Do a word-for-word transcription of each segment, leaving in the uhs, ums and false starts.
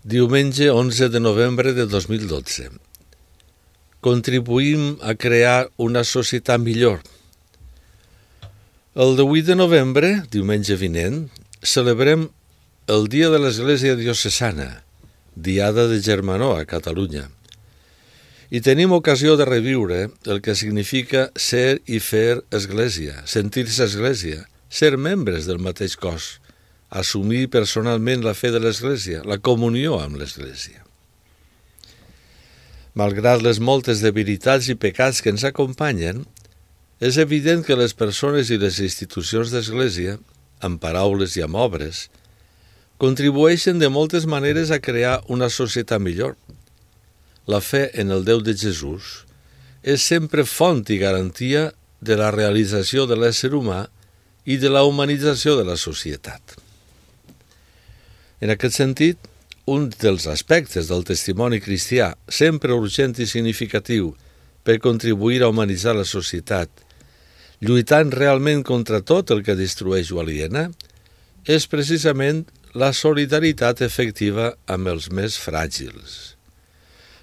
Diumenge onze de novembre de dos mil dotze. Contribuïm a crear una societat millor. El divuit de novembre, diumenge vinent, celebrem el Dia de l'Església Diocesana, Diada de Germanó a Catalunya. I tenim ocasió de reviure el que significa ser i fer església, sentir-se església, ser membres del mateix cos, assumir personalment la fe de l'Església, la comunió amb l'Església. Malgrat les moltes debilitats i pecats que ens acompanyen, és evident que les persones i les institucions d'Església, amb paraules i amb obres, contribueixen de moltes maneres a crear una societat millor. La fe en el Déu de Jesús és sempre font i garantia de la realització de l'ésser humà i de la humanització de la societat. En aquest sentit, un dels aspectes del testimoni cristià, sempre urgent i significatiu per contribuir a humanitzar la societat, lluitant realment contra tot el que destrueix o aliena, és precisament la solidaritat efectiva amb els més fràgils.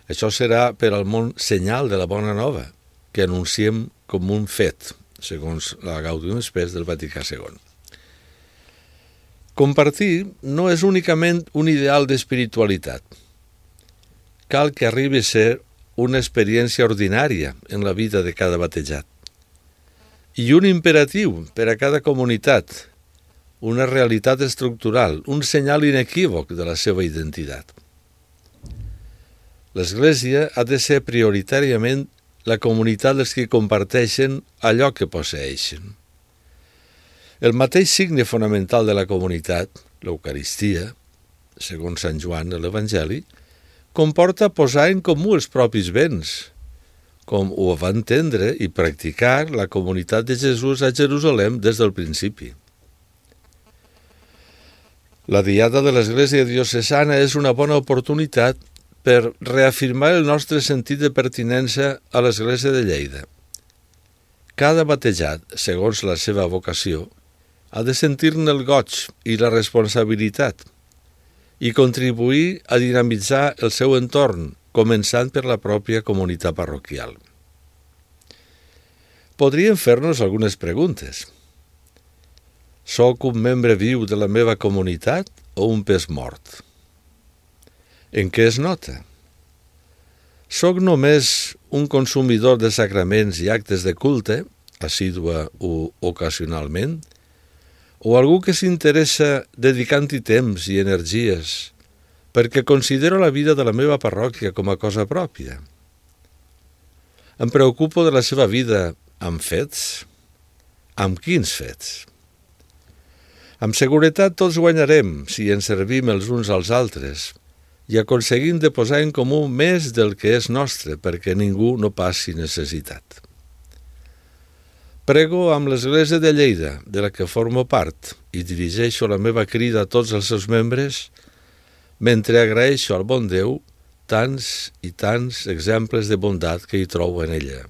Això serà per al món senyal de la bona nova, que anunciem com un fet, segons la Gaudium Spes del Vaticà segon. Compartir no és únicament un ideal d'espiritualitat. Cal que arribi a ser una experiència ordinària en la vida de cada batejat. I un imperatiu per a cada comunitat, una realitat estructural, un senyal inequívoc de la seva identitat. L'Església ha de ser prioritàriament la comunitat dels que comparteixen allò que posseeixen. El mateix signe fonamental de la comunitat, l'Eucaristia, segons Sant Joan de l'Evangeli, comporta posar en comú els propis béns, com ho va entendre i practicar la comunitat de Jesús a Jerusalem des del principi. La Diada de l'Església Diocesana és una bona oportunitat per reafirmar el nostre sentit de pertinença a l'Església de Lleida. Cada batejat, segons la seva vocació, ha de sentir-ne el goig i la responsabilitat i contribuir a dinamitzar el seu entorn, començant per la pròpia comunitat parroquial. Podríem fer-nos algunes preguntes. Soc un membre viu de la meva comunitat o un pes mort? En què es nota? Soc només un consumidor de sacraments i actes de culte, assídua o ocasionalment, o algú que s'interessa dedicant-hi temps i energies perquè considero la vida de la meva parròquia com a cosa pròpia? Em preocupo de la seva vida amb fets? Amb quins fets? Amb seguretat tots guanyarem si ens servim els uns als altres i aconseguim de posar en comú més del que és nostre perquè ningú no passi necessitat. Prego amb l'Església de Lleida, de la que formo part, i dirigeixo la meva crida a tots els seus membres, mentre agraeixo al bon Déu tants i tants exemples de bondat que hi trobo en ella.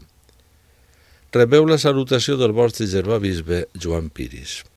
Rebeu la salutació del vostre germà bisbe Joan Piris.